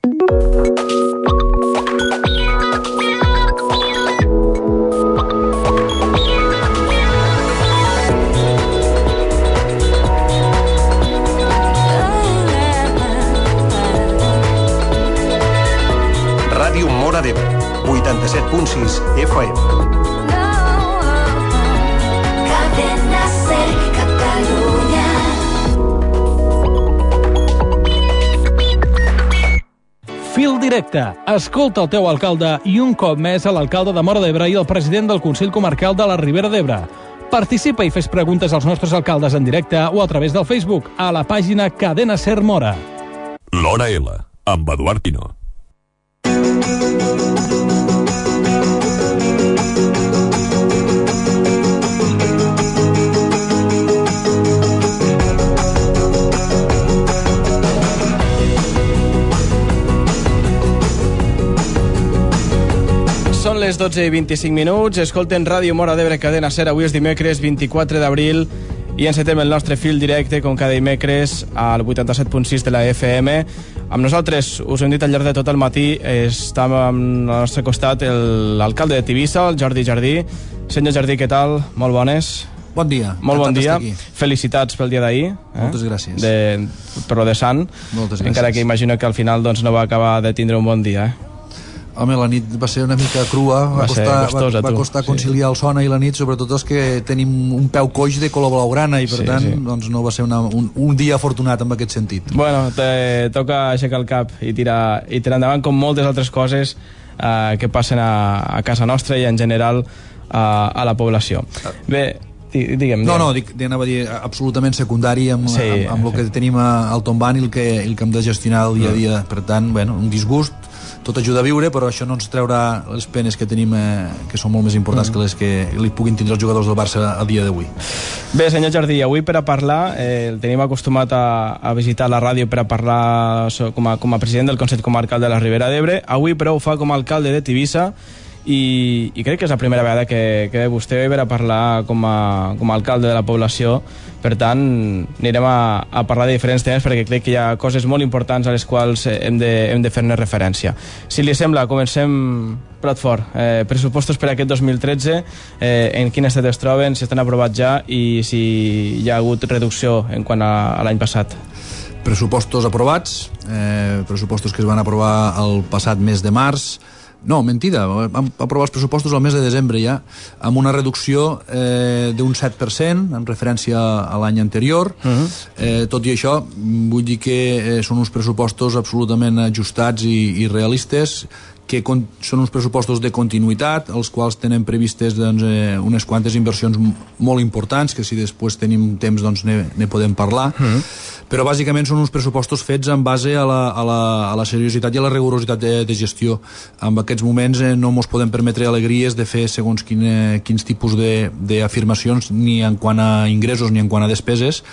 Ràdio Móra d'Ebre, 87.6 FM. Cadena Ser, Catalunya. Fil directe. Escolta el teu alcalde i un cop més a l'alcalde de Móra d'Ebre i el president del Consell Comarcal de la Ribera d'Ebre. Participa i fes preguntes als nostres alcaldes en directe o a través del Facebook a la pàgina Cadena Ser Móra. L'Hora L, amb Eduard Pino. Són les 12:25. Escolten Ràdio Móra d'Ebre, Cadena Ser. Avui és dimecres 24 d'abril i encetem el nostre fil directe, com cada dimecres, al 87.6 de la FM. Amb nosaltres, us ho hem dit al llarg de tot el matí, està al nostre costat l'alcalde de Tivissa, el Jordi Jardí. Senyor Jardí, què tal? Molt bones. Bon dia. Molt bon dia. Felicitats pel dia d'ahir. Moltes gràcies. Per lo de Sant. Moltes gràcies. Encara que imagino que al final doncs, no va acabar de tindre un bon dia, Home, la nit va ser una mica crua, va costar conciliar el son i la nit, sobretot els que tenim un peu coix de color blaugrana i per tant doncs no va ser un dia afortunat en aquest sentit. Bueno, toca aixecar el cap i tirar endavant com moltes altres coses que passen a casa nostra i en general a la població. Bé, digue'm. No, anava a dir absolutament secundari amb el que tenim al tombant i el que hem de gestionar el dia a dia. Per tant, bueno, un disgust, tot ajuda a viure, però això no ens treurà les penes que tenim, que són molt més importants que les que li puguin tindre els jugadors del Barça a dia d'avui. Bé, senyor Jardí, avui per a parlar, el tenim acostumat a visitar la ràdio per a parlar com a president del Consell Comarcal de la Ribera d'Ebre. Avui, però, ho fa com a alcalde de Tivissa i crec que és la primera vegada que ve vostè per a parlar com a alcalde de la població. Per tant, anirem a parlar de diferents temes perquè crec que hi ha coses molt importants a les quals hem de fer-ne referència. Si li sembla, comencem plat fort. Pressupostos per a aquest 2013, en quin estat es troben, si estan aprovats ja i si hi ha hagut reducció en quant a l'any passat. Pressupostos aprovats, pressupostos que es van aprovar el passat mes de març. No, mentida, vam aprovar els pressupostos al mes de desembre ja, amb una reducció d'un 7% en referència a l'any anterior. Tot i això, vull dir que són uns pressupostos absolutament ajustats i realistes, que són uns pressupostos de continuïtat, els quals tenen previstes unes quantes inversions molt importants, que si després tenim temps ne podem parlar, però bàsicament són uns pressupostos fets en base a la seriositat i a la rigorositat de gestió. En aquests moments no ens podem permetre alegries de fer segons quins tipus d'afirmacions, ni en quant a ingressos ni en quant a despeses.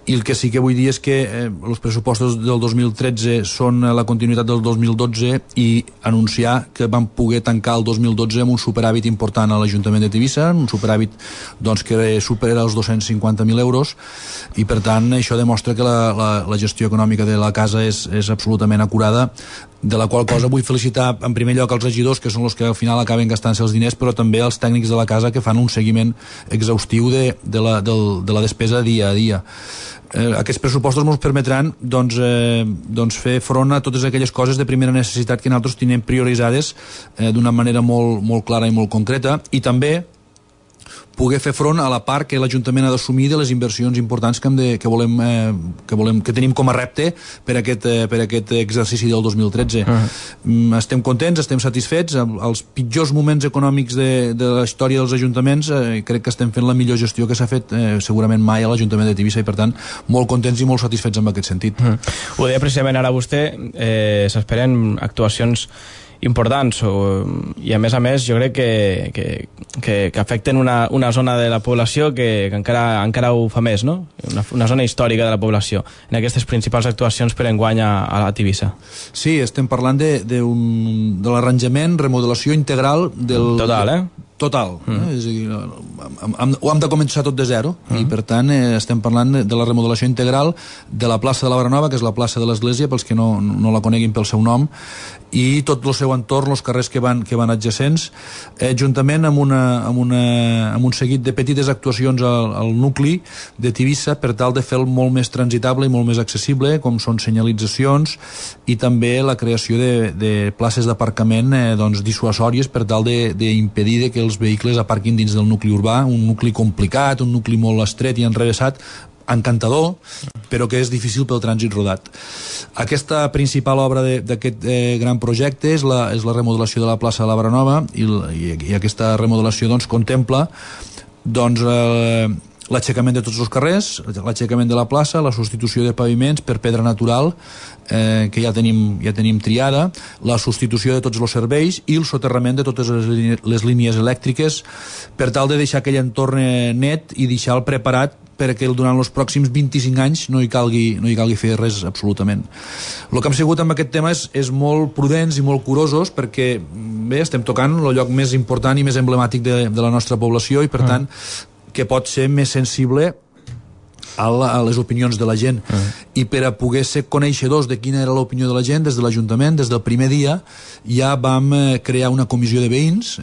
I el que sí que vull dir és que els pressupostos del 2013 són la continuïtat del 2012 i anunciar que vam poder tancar el 2012 amb un superàvit important a l'Ajuntament de Tivissa, un superàvit que supera els 250.000 euros, i per tant això demostra que la gestió econòmica de la casa és absolutament acurada, de la qual cosa vull felicitar en primer lloc els regidors, que són els que al final acaben gastant-se els diners, però també els tècnics de la casa, que fan un seguiment exhaustiu de la despesa dia a dia. Aquests pressupostos ens permetran fer front a totes aquelles coses de primera necessitat que nosaltres tenim prioritzades d'una manera molt clara i molt concreta, i també poder fer front a la part que l'Ajuntament ha d'assumir de les inversions importants que tenim com a repte per aquest exercici del 2013. Estem contents, estem satisfets. Els pitjors moments econòmics de la història dels ajuntaments, crec que estem fent la millor gestió que s'ha fet segurament mai a l'Ajuntament de Tivissa, i per tant molt contents i molt satisfets en aquest sentit. Ho deia precisament ara vostè, s'esperen actuacions importants i a més jo crec que afecten una zona de la població que encara ho fa més, no? Una zona històrica de la població en aquestes principals actuacions per enguany a la Tivissa. Sí, estem parlant de l'arranjament, remodelació integral del... Total, Total. És a dir, ho hem de començar tot de zero i per tant estem parlant de la remodelació integral de la plaça de la Baranova, que és la plaça de l'Església, pels que no la coneguin pel seu nom, i tot el seu entorn, els carrers que van adjacents, juntament amb un seguit de petites actuacions al nucli de Tivissa per tal de fer-lo molt més transitable i molt més accessible, com són senyalitzacions i també la creació de places d'aparcament dissuasòries per tal d'impedir que els vehicles aparquin dins del nucli urbà, un nucli complicat, un nucli molt estret i enrevessat, encantador, però que és difícil pel trànsit rodat. Aquesta principal obra d'aquest gran projecte és la remodelació de la plaça de la Baranova i aquesta remodelació contempla l'aixecament de tots els carrers, l'aixecament de la plaça, la substitució de paviments per pedra natural que ja tenim triada, la substitució de tots els serveis i el soterrament de totes les línies elèctriques per tal de deixar aquell entorn net i deixar-lo preparat perquè durant els pròxims 25 anys no hi calgui fer res absolutament. El que hem sigut amb aquest tema és molt prudents i molt curosos perquè bé, estem tocant el lloc més important i més emblemàtic de la nostra població i per tant que pot ser més sensible a les opinions de la gent i per a poder ser coneixedors de quina era l'opinió de la gent des de l'Ajuntament, des del primer dia ja vam crear una comissió de veïns,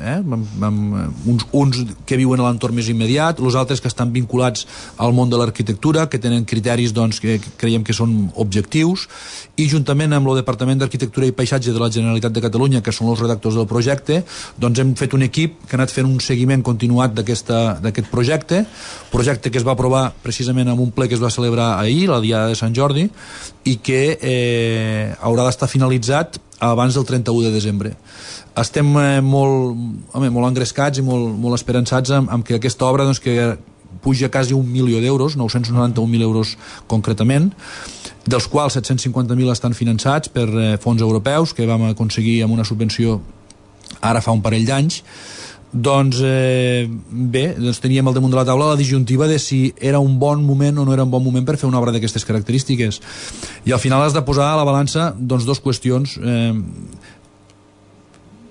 uns que viuen a l'entorn més immediat, els altres que estan vinculats al món de l'arquitectura, que tenen criteris que creiem que són objectius, i juntament amb el Departament d'Arquitectura i Paisatge de la Generalitat de Catalunya, que són els redactors del projecte, hem fet un equip que ha anat fent un seguiment continuat d'aquest projecte que es va aprovar precisament en un ple que es va celebrar ahir, la Diada de Sant Jordi, i que haurà d'estar finalitzat abans del 31 de desembre. Estem molt engrescats i molt esperançats amb que aquesta obra que puja quasi 1 milió d'euros, 991.000 euros concretament, dels quals 750.000 estan finançats per fons europeus que vam aconseguir amb una subvenció ara fa un parell d'anys. Teníem al damunt de la taula la disjuntiva de si era un bon moment o no era un bon moment per fer una obra d'aquestes característiques, i al final has de posar a la balança dues qüestions,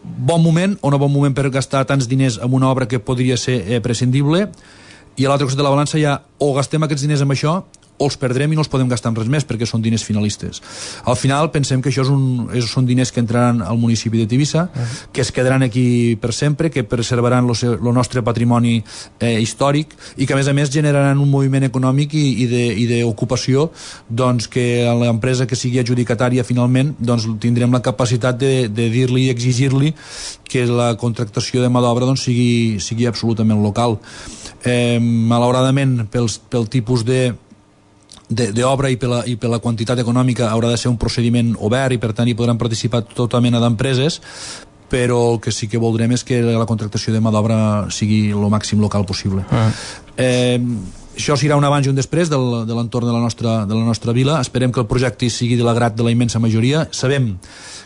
bon moment o no bon moment per gastar tants diners en una obra que podria ser prescindible, i a l'altre costat de la balança hi ha o gastem aquests diners amb això o els perdrem i no els podem gastar en res més perquè són diners finalistes. Al final pensem que això són diners que entraran al municipi de Tivissa, que es quedaran aquí per sempre, que preservaran el nostre patrimoni històric i que a més generaran un moviment econòmic i d'ocupació que a l'empresa que sigui adjudicatària finalment tindrem la capacitat de dir-li i exigir-li que la contractació de mà d'obra sigui absolutament local. Malauradament pel tipus d'obra i per la quantitat econòmica haurà de ser un procediment obert i per tant hi podran participar tota mena d'empreses, però el que sí que voldrem és que la contractació de mà d'obra sigui el màxim local possible. Això serà un abans i un després de l'entorn de la nostra vila. Esperem que el projecte sigui de l'agrat de la immensa majoria. Sabem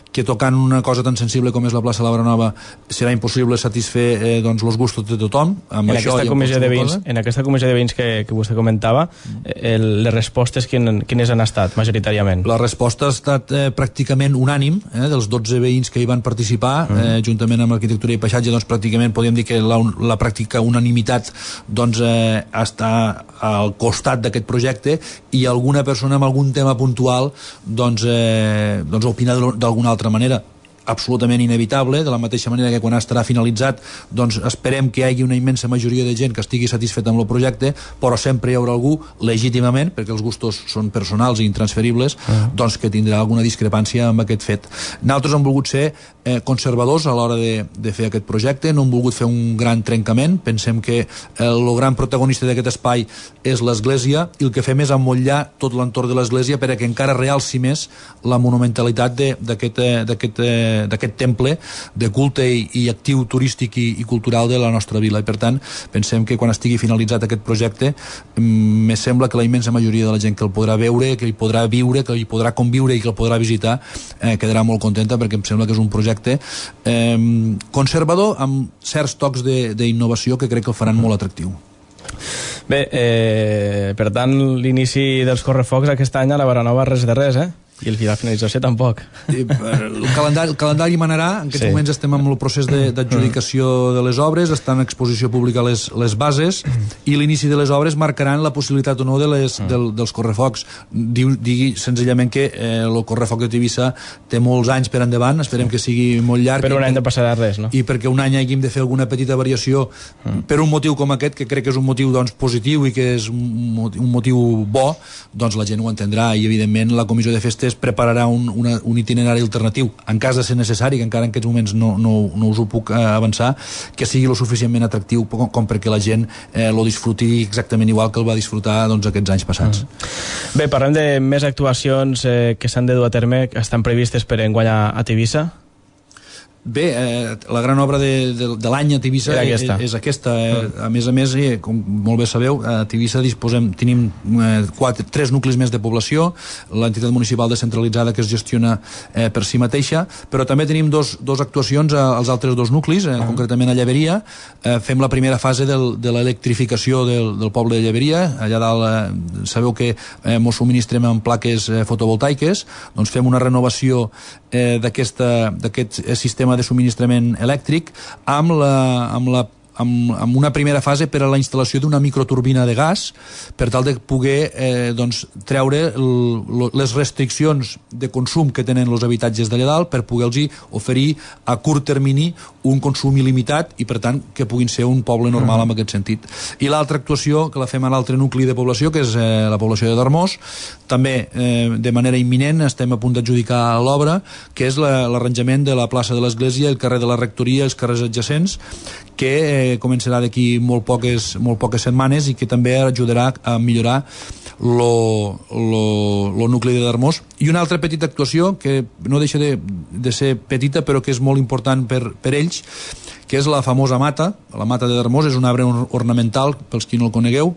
que tocant una cosa tan sensible com és la plaça de la Baranova serà impossible satisfer els gustos de tothom. En aquesta comissió de veïns que vostè comentava, les respostes quines han estat majoritàriament? La resposta ha estat pràcticament unànim, dels 12 veïns que hi van participar, juntament amb Arquitectura i Paisatge, pràcticament podríem dir que la pràctica unanimitat està al costat d'aquest projecte, i alguna persona amb algun tema puntual opina d'alguna altra manera. Absolutament inevitable, de la mateixa manera que quan estarà finalitzat esperem que hi hagi una immensa majoria de gent que estigui satisfeta amb el projecte, però sempre hi haurà algú, legítimament, perquè els gustos són personals i intransferibles, que tindrà alguna discrepància amb aquest fet. Nosaltres hem volgut ser conservadors a l'hora de fer aquest projecte, no hem volgut fer un gran trencament, pensem que el gran protagonista d'aquest espai és l'església, i el que fem és emmotllar tot l'entorn de l'església perquè encara realci més la monumentalitat d'aquest temple de culte i actiu turístic i cultural de la nostra vila, i per tant pensem que quan estigui finalitzat aquest projecte me sembla que la immensa majoria de la gent que el podrà veure, que hi podrà viure, que hi podrà conviure i que el podrà visitar quedarà molt contenta, perquè em sembla que és un projecte conservador amb certs tocs d'innovació que crec que el faran molt atractiu. Bé, per tant l'inici dels correfocs aquest any a la Baranova res de res, I la finalització tampoc. El calendari manarà. En aquests moments estem en el procés d'adjudicació de les obres, estan en exposició pública les bases, i l'inici de les obres marcaran la possibilitat o no dels correfocs. Digui senzillament que el correfoc de Tivissa té molts anys per endavant, esperem que sigui molt llarg. Per un any no passarà res, no? I perquè un any hàgim de fer alguna petita variació per un motiu com aquest, que crec que és un motiu positiu i que és un motiu bo, doncs la gent ho entendrà, i evidentment la comissió de festes prepararà un itinerari alternatiu, en cas de ser necessari, que encara en aquests moments no us ho puc avançar, que sigui lo suficientment atractiu com perquè la gent lo disfruti exactament igual que el va disfrutar aquests anys passats. Bé, parlem de més actuacions que s'han de dur a terme, que estan previstes per enguany a Tivissa. Bé, la gran obra de l'any a Tivissa és aquesta. A més, com molt bé sabeu, a Tivissa tenim 3 nuclis més de població, l'entitat municipal descentralitzada que es gestiona per si mateixa, però també tenim dos actuacions als altres 2 nuclis, concretament a Llaveria. Fem la primera fase de l'electrificació del poble de Llaveria. Allà dalt sabeu que mos subministrem amb plaques fotovoltaiques, doncs fem una renovació d'aquest sistema de subministrament elèctric amb una primera fase per a la instal·lació d'una microturbina de gas, per tal de poder treure les restriccions de consum que tenen els habitatges d'allà dalt, per poder-los oferir a curt termini un consum il·limitat i, per tant, que puguin ser un poble normal en aquest sentit. I l'altra actuació, que la fem a l'altre nucli de població, que és la població de Darmós, també de manera imminent estem a punt d'adjudicar l'obra, que és l'arranjament de la plaça de l'Església, el carrer de la Rectoria i els carrers adjacents, que començarà d'aquí molt poques setmanes i que també ajudarà a millorar lo nucli de Darmós. I una altra petita actuació que no deixa de ser petita, però que és molt important per ells, que és la famosa mata. La mata de Darmós és un arbre ornamental, pels qui no el conegueu,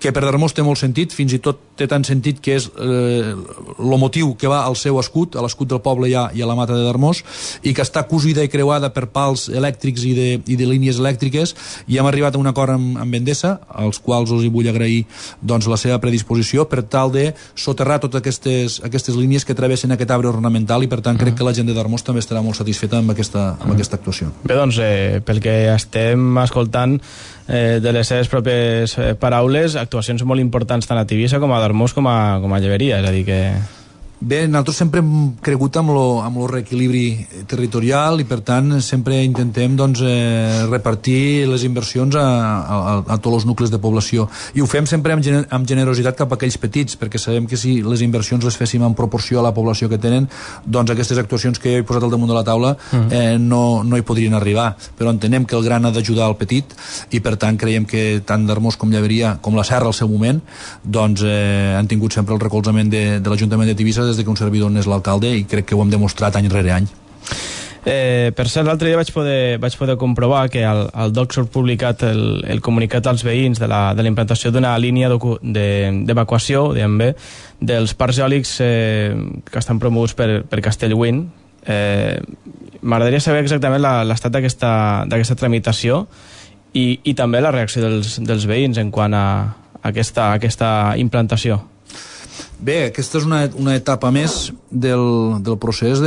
que per Darmós té molt sentit, fins i tot té tant sentit que és el motiu que va al seu escut, a l'escut del poble i a la mata de Darmós, i que està cosida i creuada per pals elèctrics i de línies elèctriques, i hem arribat a un acord amb Endesa, als quals us hi vull agrair la seva predisposició per tal de soterrar totes aquestes línies que travessen aquest arbre ornamental, i per tant crec que la gent de Darmós també estarà molt satisfeta amb aquesta actuació. Bé, doncs, pel que estem escoltant de les seves pròpies paraules, actuacions molt importants tant a Tivissa com a Darmós com a Llaveria, és a dir que... Bé, nosaltres sempre hem cregut amb lo reequilibri territorial, i per tant sempre intentem repartir les inversions a tots els nuclis de població, i ho fem sempre amb generositat cap a aquells petits, perquè sabem que si les inversions les féssim en proporció a la població que tenen, doncs aquestes actuacions que jo he posat al damunt de la taula no hi podrien arribar, però entenem que el gran ha d'ajudar al petit, i per tant creiem que tant Darmós com Llaveria, com la Serra al seu moment, doncs han tingut sempre el recolzament de l'Ajuntament de Tivissa des de que un servidor n'és l'alcalde, i crec que ho hem demostrat any rere any. Per cert, l'altre dia vaig poder comprovar que al DOC surt publicat el comunicat als veïns de la implantació d'una línia d'evacuació, diguem bé, dels parcs eòlics que estan promoguts per Castellwin. M'agradaria saber exactament l'estat d'aquesta tramitació i també la reacció dels veïns en quant a aquesta implantació. Bé, aquesta és una etapa més del procés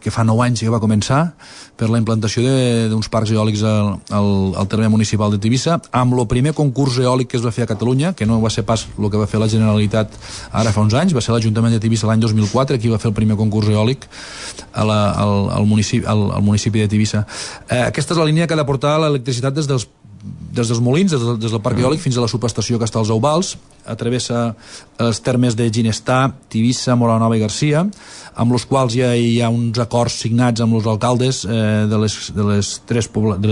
que fa 9 anys que va començar per la implantació d'uns parcs eòlics al terme municipal de Tivissa, amb el primer concurs eòlic que es va fer a Catalunya, que no va ser pas el que va fer la Generalitat ara fa uns anys, va ser l'Ajuntament de Tivissa l'any 2004, qui va fer el primer concurs eòlic al municipi de Tivissa. Aquesta és la línia que ha de portar l'electricitat des dels molins, des del parc eòlic fins a la subestació que està als Euvals, travessa els termes de Ginestar, Tivissa, Moranova i Garcia, amb els quals ja hi ha uns acords signats amb els alcaldes de les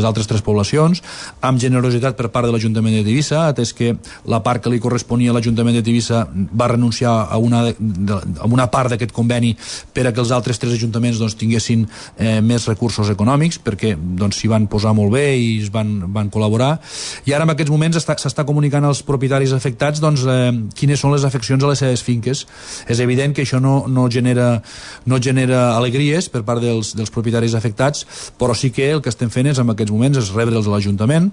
altres 3 poblacions, amb generositat per part de l'Ajuntament de Tivissa, atès que la part que li corresponia a l'Ajuntament de Tivissa va renunciar a una part d'aquest conveni per a que els altres 3 ajuntaments tinguessin més recursos econòmics, perquè s'hi van posar molt bé i es van col·laborar, I ara en aquests moments s'està comunicant als propietaris afectats doncs, quines són les afeccions a les seves finques. És evident que això no genera alegries per part dels propietaris afectats, però sí que el que estem fent en aquests moments és rebre'ls a l'Ajuntament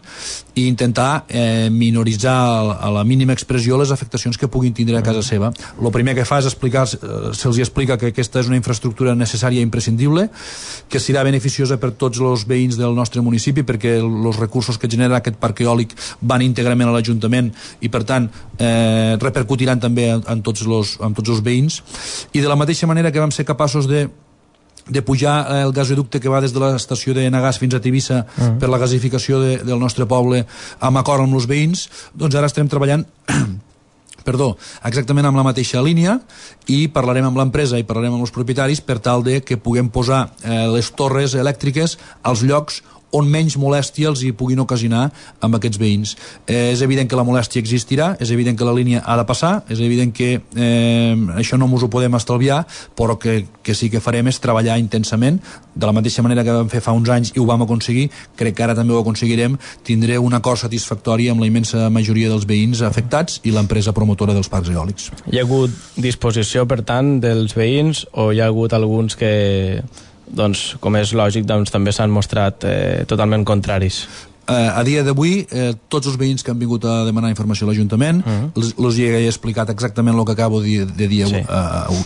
i intentar minoritzar a la mínima expressió les afectacions que puguin tindre a casa seva. El primer que fa és se'ls explica que aquesta és una infraestructura necessària i imprescindible, que serà beneficiosa per tots els veïns del nostre municipi perquè els recursos que genera aquest parc eòlic van íntegrament a l'Ajuntament i per tant repercutiran també en tots els veïns. I de la mateixa manera que vam ser capaços de pujar el gasoducte que va des de l'estació de Nagàs fins a Tivissa per la gasificació del nostre poble amb acord amb els veïns, doncs ara estem treballant exactament amb la mateixa línia i parlarem amb l'empresa i parlarem amb els propietaris per tal de que puguem posar les torres elèctriques als llocs on menys molèstia els hi puguin ocasionar amb aquests veïns. És evident que la molèstia existirà, és evident que la línia ha de passar, és evident que això no ens ho podem estalviar, però que sí que farem és treballar intensament, de la mateixa manera que vam fer fa uns anys i ho vam aconseguir, crec que ara també ho aconseguirem, tindré un acord satisfactori amb la immensa majoria dels veïns afectats i l'empresa promotora dels parcs eòlics. Hi ha hagut disposició, per tant, dels veïns o hi ha hagut alguns que, doncs, com és lògic, doncs, també s'han mostrat totalment contraris? A dia d'avui, tots els veïns que han vingut a demanar informació a l'Ajuntament els hi he explicat exactament el que acabo de dir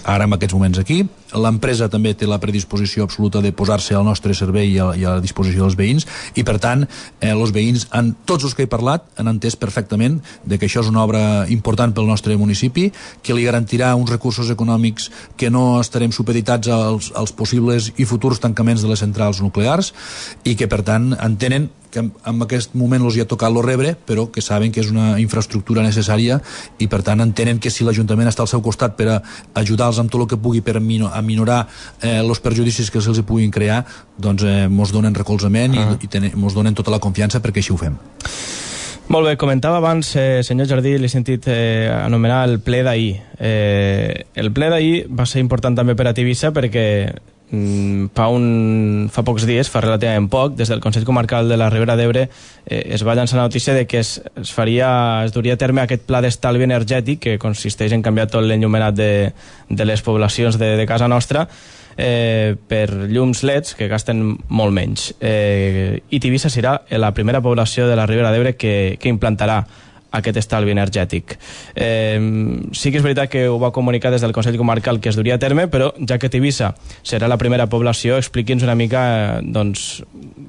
ara en aquests moments aquí. L'empresa també té la predisposició absoluta de posar-se al nostre servei i a la disposició dels veïns i per tant els veïns, tots els que he parlat, han entès perfectament de que això és una obra important pel nostre municipi, que li garantirà uns recursos econòmics que no estarem supeditats als possibles i futurs tancaments de les centrals nuclears i que per tant entenen que en aquest moment els hi ha tocat lo rebre, però que saben que és una infraestructura necessària i per tant entenen que si l'Ajuntament està al seu costat per ajudar-los amb tot el que pugui per minorar els perjudicis que se'ls puguin crear, doncs mos donen recolzament i mos donen tota la confiança perquè així ho fem. Molt bé, comentava abans, senyor Jardí, l'he sentit anomenar el ple d'ahir. El ple d'ahir va ser important també per a Tivissa perquè fa pocs dies, fa relativament poc, des del Consell Comarcal de la Ribera d'Ebre es va llançar la notícia de que es duria a terme aquest pla d'estalvi energètic que consisteix en canviar tot l'enllumenat de les poblacions de casa nostra per llums LEDs que gasten molt menys. I Tivissa serà la primera població de la Ribera d'Ebre que implantarà aquest estalvi energètic. Sí que és veritat que ho va comunicar des del Consell Comarcal que es duria a terme, però ja que Tivissa serà la primera població, expliqui'ns una mica doncs,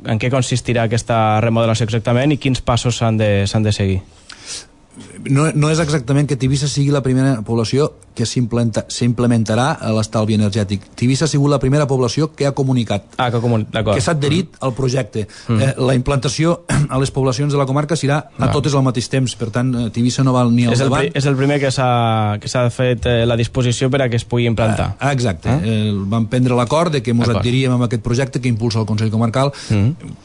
en què consistirà aquesta remodelació exactament i quins passos s'han de seguir. No és exactament que Tivissa sigui la primera població que s'implementarà a l'estalvi energètic. Tivissa ha sigut la primera població que ha comunicat, que s'ha adherit al projecte. La implantació a les poblacions de la comarca serà a totes al mateix temps, per tant Tivissa no val ni al davant. És el primer que s'ha fet la disposició per a que es pugui implantar. Exacte. Vam prendre l'acord de que ens adheríem amb aquest projecte que impulsa el Consell Comarcal.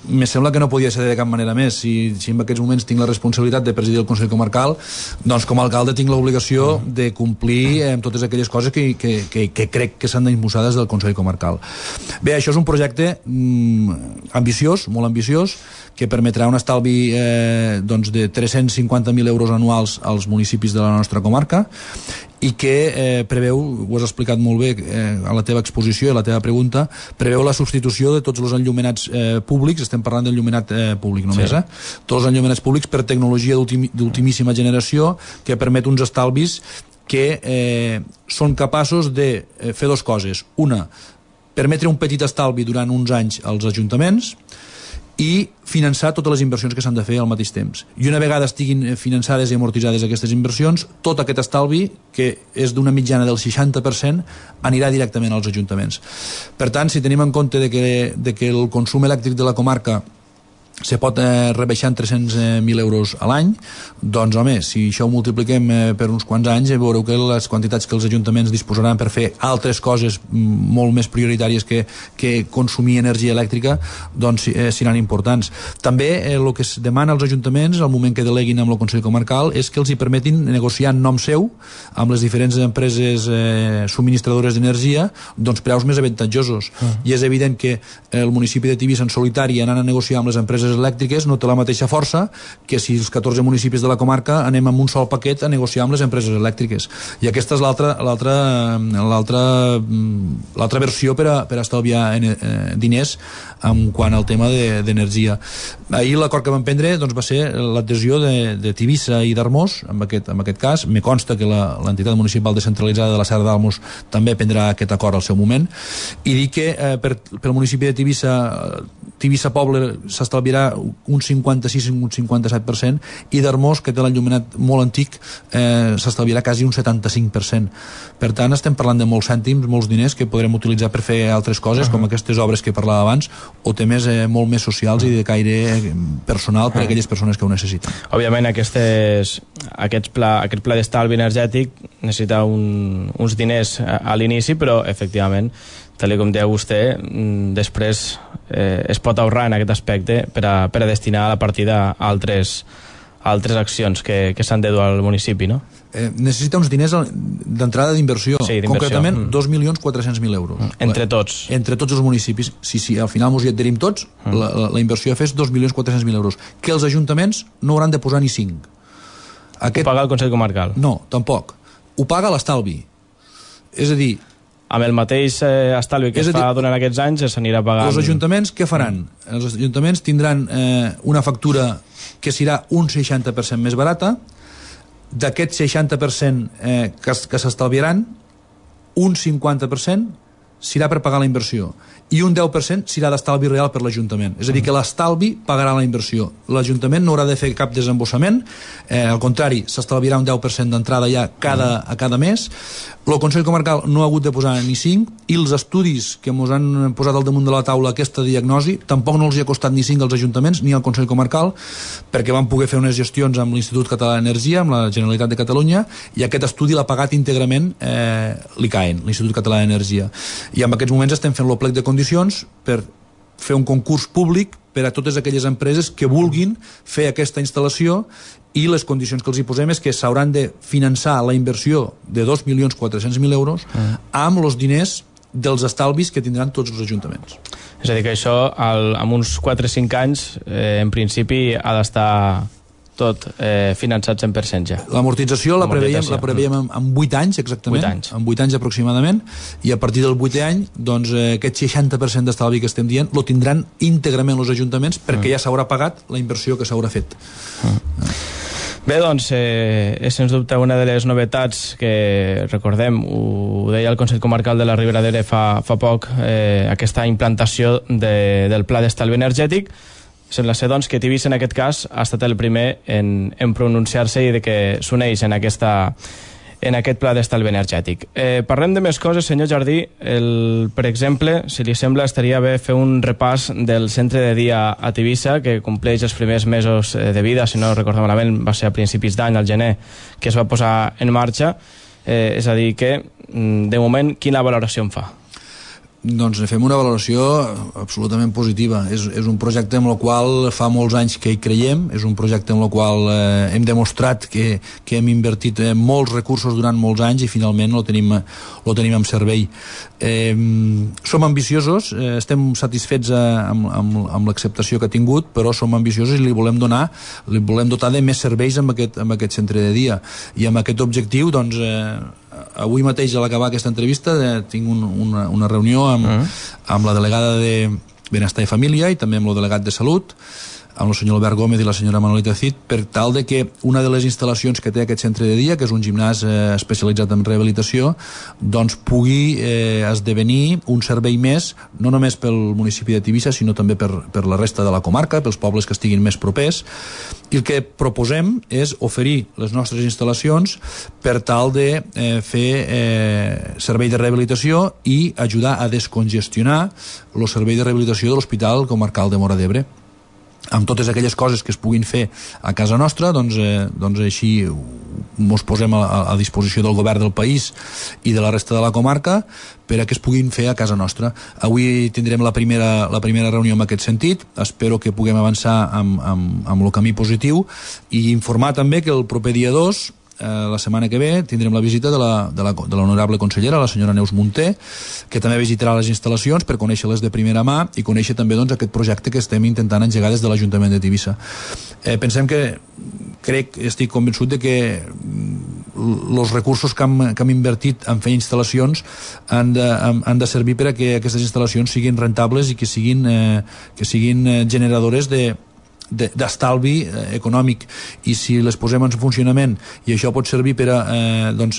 Me sembla que no podia ser de cap manera més. Si en aquests moments tinc la responsabilitat de presidir el Consell Comarcal, doncs com a alcalde tinc l'obligació de complir amb totes aquelles coses que crec que s'han d'impulsar des del Consell Comarcal. Bé, això és un projecte ambiciós, molt ambiciós, que permetrà un estalvi de 350.000 euros anuals als municipis de la nostra comarca i que preveu, ho has explicat molt bé a la teva exposició i a la teva pregunta, preveu la substitució de tots els enllumenats públics, estem parlant d'enllumenat públic només, tots els enllumenats públics per tecnologia d'ultimíssima generació que permet uns estalvis que són capaços de fer dues coses. Una, permetre un petit estalvi durant uns anys als ajuntaments i finançar totes les inversions que s'han de fer al mateix temps. I una vegada estiguin finançades i amortitzades aquestes inversions, tot aquest estalvi, que és d'una mitjana del 60%, anirà directament als ajuntaments. Per tant, si tenim en compte de que el consum elèctric de la comarca se pot rebaixar en 300.000 euros a l'any, doncs home, si això ho multipliquem per uns quants anys, veureu que les quantitats que els ajuntaments disposaran per fer altres coses molt més prioritàries que consumir energia elèctrica, doncs seran importants. També el que es demana als ajuntaments al moment que deleguin amb el Consell Comarcal és que els hi permetin negociar en nom seu amb les diferents empreses subministradores d'energia doncs preus més avantatjosos. I és evident que el municipi de Tivissa en solitari anant a negociar amb les empreses empreses elèctriques no té la mateixa força que si els 14 municipis de la comarca anem amb un sol paquet a negociar amb les empreses elèctriques. I aquesta és l'altra versió per a estalviar diners en quant al tema d'energia. Ahir l'acord que vam prendre doncs, va ser l'adhesió de Tivissa i d'Armós, en aquest cas. Me consta que l'entitat municipal descentralitzada de la Serra d'Almos també prendrà aquest acord al seu moment, i dir que pel municipi de Tivissa Poble s'estalviarà un 56 un 57%, i d'Armós, que té l'enllumenat molt antic, s'estalviarà quasi un 75%. Per tant, estem parlant de molts cèntims, molts diners que podrem utilitzar per fer altres coses, com aquestes obres que parlava abans, o temes molt més socials i de caire personal per a aquelles persones que ho necessiten. Òbviament, aquest pla d'estalvi energètic necessita uns diners a l'inici, però, efectivament, tal com deia vostè, després es pot ahorrar en aquest aspecte per a destinar a la partida a altres accions que s'han de dur al municipi, no? Necessita uns diners d'entrada d'inversió, sí, concretament 2.400.000 euros. Entre tots? Entre tots els municipis. Si al final ens hi adherim tots, la inversió a fer és 2.400.000 euros, que els ajuntaments no hauran de posar ni 5. Ho paga el Consell Comarcal? No, tampoc. Ho paga l'estalvi. És a dir, amb el mateix estalvi que es fa durant aquests anys s'anirà pagant... Els ajuntaments què faran? Els ajuntaments tindran una factura que serà un 60% més barata. D'aquest 60% que s'estalviaran, un 50% serà per pagar la inversió i un 10% serà d'estalvi real per l'Ajuntament. És a dir, que l'estalvi pagarà la inversió. L'Ajuntament no haurà de fer cap desembossament, al contrari, s'estalviarà un 10% d'entrada ja a cada mes. El Consell Comarcal no ha hagut de posar ni 5, i els estudis que ens han posat al damunt de la taula aquesta diagnosi tampoc no els hi ha costat ni 5 als ajuntaments ni al Consell Comarcal, perquè van poder fer unes gestions amb l'Institut Català d'Energia, amb la Generalitat de Catalunya, i aquest estudi l'ha pagat íntegrament l'ICAEN, l'Institut Català d'Energia. I en aquests moments estem fent el plec de condicions per fer un concurs públic per a totes aquelles empreses que vulguin fer aquesta instal·lació, i les condicions que els hi posem és que s'hauran de finançar la inversió de 2.400.000 euros amb els diners dels estalvis que tindran tots els ajuntaments. És a dir, que això, amb uns 4 o 5 anys, en principi ha d'estar tot finançat 100% ja. L'amortització la preveiem en 8 anys, exactament, en 8 anys aproximadament, i a partir del 8è any, doncs, aquest 60% d'estalvi que estem dient lo tindran íntegrament els ajuntaments, perquè ja s'haurà pagat la inversió que s'haurà fet. Bé, doncs, és sens dubte una de les novetats que, recordem, ho deia el Consell Comarcal de la Ribera d'Ebre fa poc, aquesta implantació del pla d'estalvi energètic. Sembla ser, doncs, que Tivissa, en aquest cas, ha estat el primer en pronunciar-se i de que s'uneix en aquest pla d'estalvi energètic. Parlem de més coses, senyor Jardí. Per exemple, si li sembla, estaria bé fer un repàs del centre de dia a Tivissa, que compleix els primers mesos de vida, si no recordo malament, va ser a principis d'any, al gener, que es va posar en marxa. És a dir, que, de moment, quina valoració en fa? Doncs fem una valoració absolutament positiva. És un projecte amb el qual fa molts anys que hi creiem, és un projecte amb el qual hem demostrat que hem invertit molts recursos durant molts anys i finalment lo tenim en servei. Som ambiciosos, estem satisfets amb l'acceptació que ha tingut, però som ambiciosos i li volem dotar de més serveis amb aquest centre de dia. I amb aquest objectiu, doncs, avui mateix, a l'acabar aquesta entrevista, tinc una reunió amb la delegada de Benestar i Família i també amb el delegat de Salut, amb el senyor Albert Gómez i la senyora Manolita Cid, per tal de que una de les instal·lacions que té aquest centre de dia, que és un gimnàs especialitzat en rehabilitació, doncs pugui esdevenir un servei més, no només pel municipi de Tivissa, sinó també per la resta de la comarca, pels pobles que estiguin més propers. I el que proposem és oferir les nostres instal·lacions per tal de fer servei de rehabilitació i ajudar a descongestionar el servei de rehabilitació de l'Hospital Comarcal de Móra d'Ebre. Amb totes aquelles coses que es puguin fer a casa nostra, doncs així ens posem a disposició del govern del país i de la resta de la comarca per a que es puguin fer a casa nostra. Avui tindrem la primera reunió en aquest sentit. Espero que puguem avançar amb el camí positiu i informar també que el proper dia 2 la setmana que ve tindrem la visita de l'honorable consellera, la senyora Neus Munté, que també visitarà les instal·lacions per conèixer-les de primera mà i conèixer també doncs, aquest projecte que estem intentant engegar des de l'Ajuntament de Tivissa. Pensem que, estic convençut de que els recursos que hem invertit en fer instal·lacions han de servir per a que aquestes instal·lacions siguin rentables i que siguin generadores d'estalvi econòmic, i si les posem en funcionament i això pot servir per a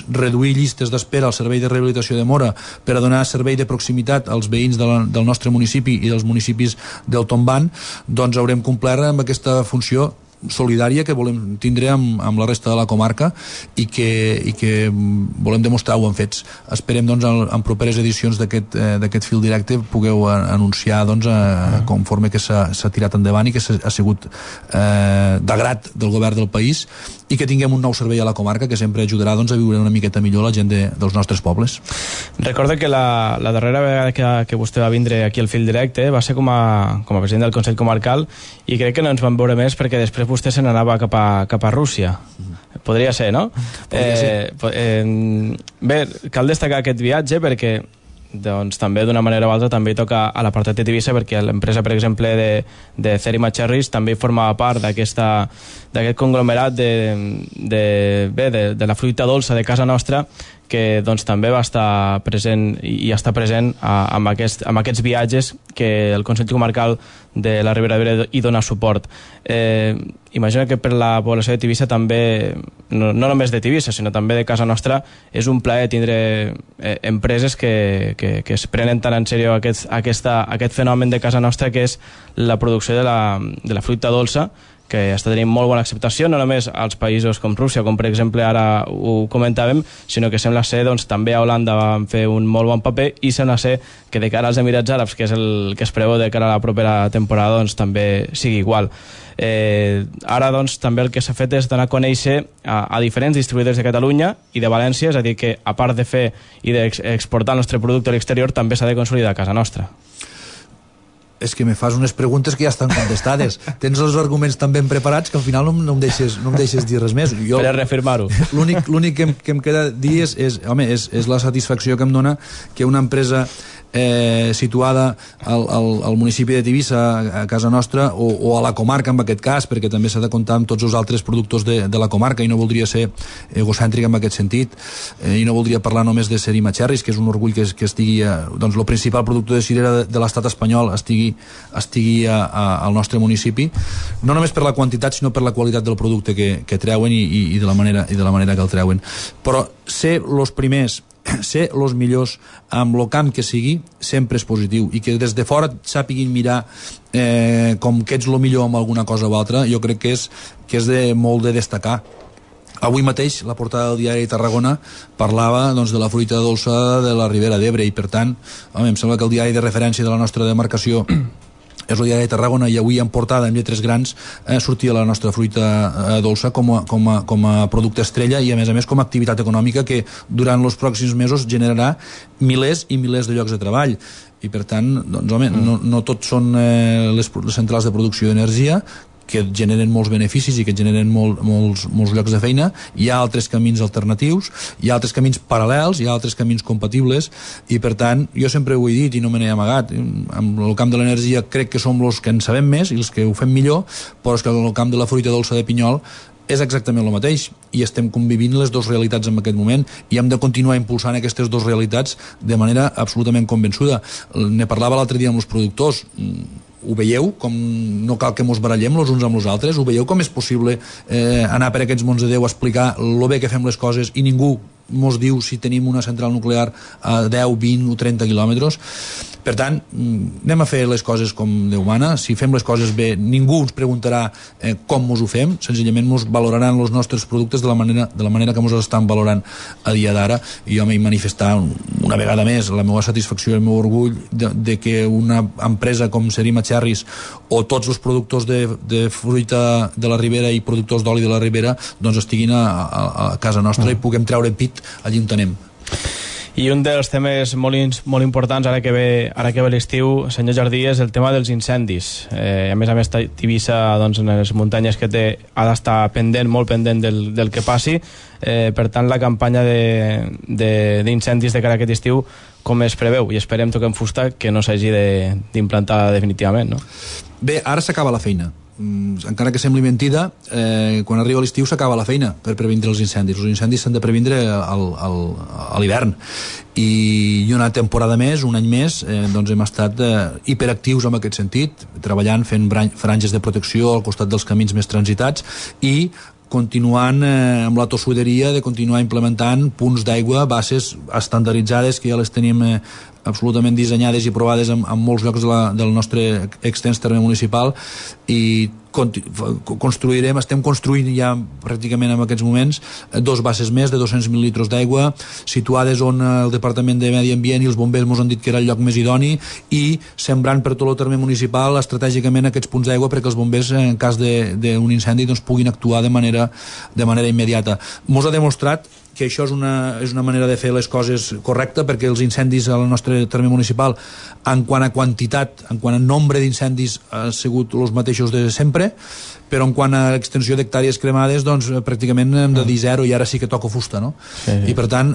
reduir llistes d'espera al servei de rehabilitació de Móra, per a donar servei de proximitat als veïns del nostre municipi i dels municipis del Tomban, doncs haurem complert amb aquesta funció solidària que volem tindre amb la resta de la comarca i que volem demostrar-ho en fets. Esperem doncs en properes edicions d'aquest fil directe pugueu anunciar doncs, conforme que s'ha tirat endavant i que ha sigut d'agrat del govern del país, i que tinguem un nou servei a la comarca que sempre ajudarà doncs, a viure una miqueta millor la gent dels nostres pobles. Recordo que la darrera vegada que vostè va vindre aquí al fil directe va ser com a president del Consell Comarcal, i crec que no ens vam veure més perquè després vostè se n'anava cap a Rússia. Podria ser, no? Podria ser. Bé, cal destacar aquest viatge perquè doncs també d'una manera o altra també hi toca a l'apartat de Tivissa, perquè l'empresa, per exemple, de Cerima Cherries també formava part d'aquest conglomerat de la fruita dolça de casa nostra, que doncs, també va estar present i està present amb aquests viatges que el Consell Comarcal de la Ribera d'Ebre hi dona suport. Imagino que per la població de Tivissa també, no només de Tivissa, sinó també de casa nostra, és un plaer tindre empreses que es prenen tan en sèrio aquest fenomen de casa nostra, que és la producció de la fruita dolça, que està tenint molt bona acceptació, no només als països com Rússia, com per exemple ara ho comentàvem, sinó que sembla ser doncs, també a Holanda van fer un molt bon paper, i sembla ser que de cara als Emirats Àrabs, que és el que es preveu de cara a la propera temporada, doncs també sigui igual. Ara doncs també el que s'ha fet és donar a conèixer a diferents distribuïdors de Catalunya i de València, és a dir que a part de fer i d'exportar el nostre producte a l'exterior, també s'ha de consolidar a casa nostra. És que me fas unes preguntes que ja estan contestades. Tens els arguments tan ben preparats que al final no em deixes dir res més. Per a reafirmar-ho. L'únic que em queda dir és la satisfacció que em dona que una empresa situada al municipi de Tivissa, a casa nostra, o a la comarca en aquest cas, perquè també s'ha de comptar amb tots els altres productors de la comarca, i no voldria ser egocèntric en aquest sentit, i no voldria parlar només de Cerima Cherries, que és un orgull que estigui doncs el principal productor de cirera de l'estat espanyol estigui al nostre municipi, no només per la quantitat sinó per la qualitat del producte que treuen i de la manera que el treuen. Però ser els primers, ser els millors amb el camp que sigui, sempre és positiu, i que des de fora sàpiguin mirar com que ets el millor amb alguna cosa o altra, jo crec que és molt de destacar. Avui mateix la portada del diari de Tarragona parlava doncs, de la fruita dolça de la Ribera d'Ebre, i per tant em sembla que el diari de referència de la nostra demarcació és el diari de Tarragona, i avui en portada en lletres grans sortia la nostra fruita dolça com a producte estrella, i a més com a activitat econòmica que durant els pròxims mesos generarà milers i milers de llocs de treball. I per tant, doncs, no tot són les centrals de producció d'energia que generen molts beneficis i que generen molts llocs de feina. Hi ha altres camins alternatius, hi ha altres camins paral·lels, hi ha altres camins compatibles, i per tant jo sempre ho he dit i no me n'he amagat, en el camp de l'energia crec que som els que en sabem més i els que ho fem millor, però és que en el camp de la fruita dolça de pinyol és exactament el mateix, i estem convivint les dues realitats en aquest moment, i hem de continuar impulsant aquestes dues realitats de manera absolutament convençuda. Ne parlava l'altre dia amb els productors. Ho veieu, com no cal que mos barallem els uns amb els altres? Ho veieu com és possible anar per aquests mons de Déu a explicar lo bé que fem les coses i ningú mos diu si tenim una central nuclear a 10, 20 o 30 quilòmetres? Per tant, anem a fer les coses com Déu mana. Si fem les coses bé, ningú ens preguntarà com mos ho fem, senzillament mos valoraran els nostres productes de la manera que mos estan valorant a dia d'ara. I jo m'he manifestat una vegada més la meva satisfacció i el meu orgull de que una empresa com Cerima Cherries o tots els productors de fruita de la Ribera i productors d'oli de la Ribera doncs estiguin a casa nostra i puguem treure pit allí on anem. I un dels temes molt importants ara que ve l'estiu, senyor Jardí, és el tema dels incendis. A més, Tivissa, doncs, en les muntanyes que té, ha d'estar molt pendent del que passi. Per tant, la campanya d'incendis de cara a aquest estiu, com es preveu? I esperem, toquem fusta, que no s'hagi d'implantar definitivament, no? Bé, ara s'acaba la feina. Encara que sembli mentida, quan arriba l'estiu s'acaba la feina per previndre els incendis. Els incendis s'han de previndre a l'hivern, i una temporada més, un any més, doncs hem estat hiperactius en aquest sentit, treballant, fent franges de protecció al costat dels camins més transitats i continuant amb la tossuderia de continuar implementant punts d'aigua, bases estandarditzades que ja les tenim absolutament dissenyades i provades en molts llocs del nostre extens terme municipal, i estem construint ja pràcticament en aquests moments 2 bases més de 200.000 litres d'aigua, situades on el Departament de Medi Ambient i els bombers ens han dit que era el lloc més idoni, i sembrant per tot el terme municipal estratègicament aquests punts d'aigua perquè els bombers, en cas d'un incendi, doncs, puguin actuar de manera immediata. Mos ha demostrat que això és una manera de fer les coses correcta, perquè els incendis al nostre terme municipal, en quant a quantitat, en quant a nombre d'incendis, han sigut els mateixos de sempre, però en quant a l'extensió d'hectàrees cremades, doncs pràcticament hem de dir 0, i ara sí que toca fusta, no? Sí. I per tant,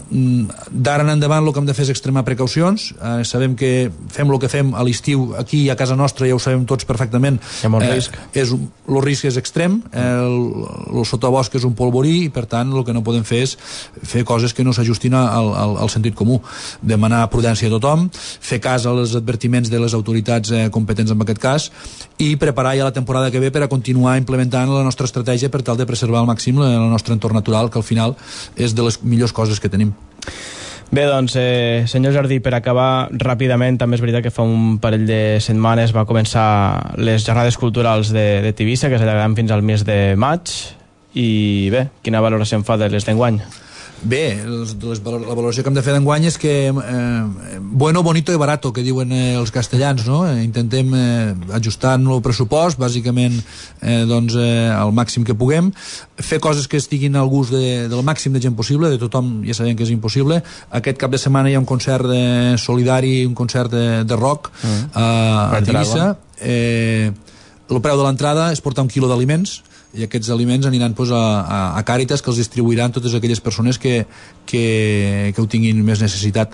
d'ara en endavant el que hem de fer és extremar precaucions. Sabem que fem el que fem a l'estiu aquí a casa nostra, ja ho sabem tots perfectament. Hi ha molt risc. El risc és extrem, el sotabosc és un polvorí, i per tant el que no podem fer és fer coses que no s'ajustin al sentit comú. Demanar prudència a tothom, fer cas als advertiments de les autoritats competents en aquest cas, i preparar ja la temporada que ve per a continuar implementant la nostra estratègia per tal de preservar al màxim el nostre entorn natural, que al final és de les millors coses que tenim. Bé, doncs, senyor Jardí, per acabar ràpidament, també és veritat que fa un parell de setmanes va començar les jornades culturals de Tivissa, que s'allargaran fins al mes de maig, i bé, quina valoració en fa de les d'enguany? Bé, la valoració que hem de fer d'enguany és que bueno, bonito i barato, que diuen els castellans, no? Intentem ajustar el pressupost, bàsicament doncs, al màxim que puguem, fer coses que estiguin al gust del màxim de gent possible, de tothom ja sabem que és impossible. Aquest cap de setmana hi ha un concert solidari, un concert de rock a Tivissa. El preu de l'entrada és portar 1 quilo d'aliments, i aquests aliments aniran doncs, a Càritas, que els distribuiran totes aquelles persones que ho tinguin més necessitat.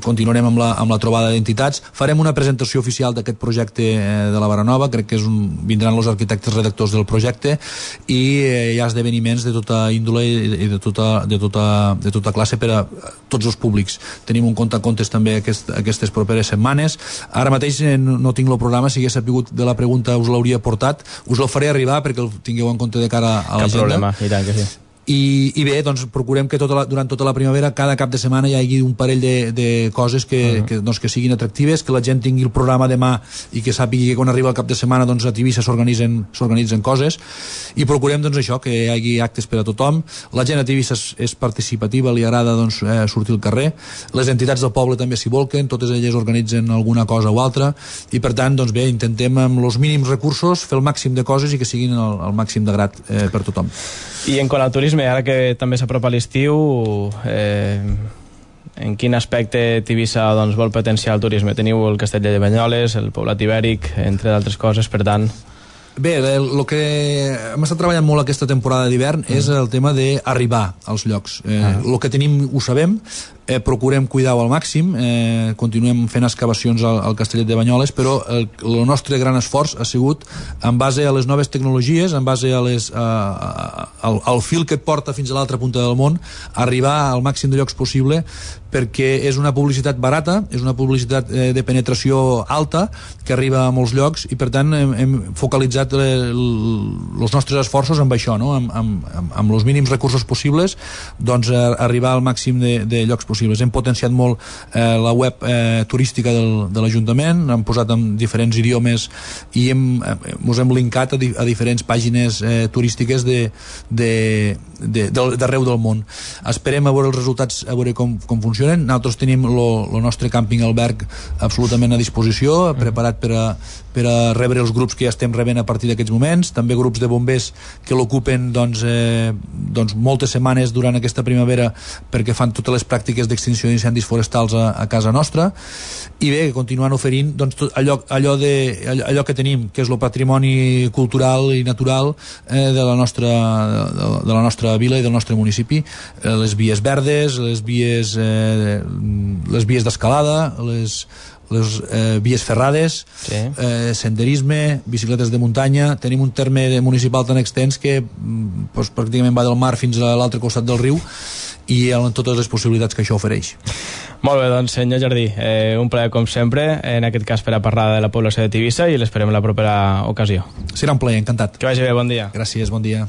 Continuarem amb la trobada d'entitats, farem una presentació oficial d'aquest projecte de la Baranova, crec que vindran els arquitectes redactors del projecte, i hi ha esdeveniments de tota índole i de tota classe per a tots els públics. Tenim un compte a comptes també aquestes properes setmanes. Ara mateix no tinc el programa, si hagués sapigut de la pregunta us l'hauria portat, us el faré arribar perquè el tingueu en compte de cara a l'agenda. Cap problema, i tant que sí. I bé, doncs procurem que durant tota la primavera, cada cap de setmana hi hagi un parell de coses que siguin atractives, que la gent tingui el programa de mà i que sàpigui que quan arriba el cap de setmana doncs, a Tivissa s'organitzen coses, i procurem doncs, això, que hi hagi actes per a tothom. La gent a Tivissa és participativa, li agrada doncs, sortir al carrer, les entitats del poble també s'hi volquen, totes elles organitzen alguna cosa o altra, i per tant doncs, bé, intentem amb els mínims recursos fer el màxim de coses i que siguin el màxim de grat per tothom. I en quant al turisme, ara que també s'apropa l'estiu, en quin aspecte Tivissa doncs, vol potenciar el turisme? Teniu el Castell de Banyoles, el Poblat Ibèric, entre d'altres coses, per tant... Bé, el que hem estat treballant molt aquesta temporada d'hivern és el tema d'arribar als llocs. El que tenim ho sabem, procurem cuidar-ho al màxim, continuem fent excavacions al Castellet de Banyoles, però el nostre gran esforç ha sigut en base a les noves tecnologies, en base al fil que et porta fins a l'altra punta del món, arribar al màxim de llocs possible, perquè és una publicitat barata, és una publicitat de penetració alta, que arriba a molts llocs, i per tant hem focalitzat els nostres esforços amb això, no? amb els mínims recursos possibles, doncs arribar al màxim de llocs possibles. Hem potenciat molt la web turística de l'Ajuntament, hem posat en diferents idiomes i ens hem linkat a diferents pàgines turístiques d'arreu del món. Esperem a veure els resultats, a veure com funcionen. Nosaltres tenim el nostre càmping alberg absolutament a disposició, preparat per a rebre els grups que ja estem rebent a partir d'aquests moments, també grups de bombers que l'ocupen doncs moltes setmanes durant aquesta primavera perquè fan totes les pràctiques tècniques d'extinció d'incendis forestals a casa nostra, i bé, continuant oferint doncs, tot allò que tenim, que és el patrimoni cultural i natural de la nostra vila i del nostre municipi, les vies verdes, les vies d'escalada, les vies ferrades, sí. Senderisme, bicicletes de muntanya. Tenim un terme municipal tan extens que doncs, pràcticament va del mar fins a l'altre costat del riu, i amb totes les possibilitats que això ofereix. Molt bé, doncs senyor Jardí, un plaer com sempre, en aquest cas per a parlar de la població de Tivissa, i l'esperem en la propera ocasió. Serà un plaer, encantat. Que vagi bé, bon dia. Gràcies, bon dia.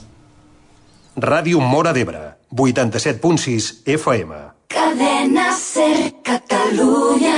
Ràdio Móra d'Ebre, 87.6 FM. Cadena Ser Catalunya.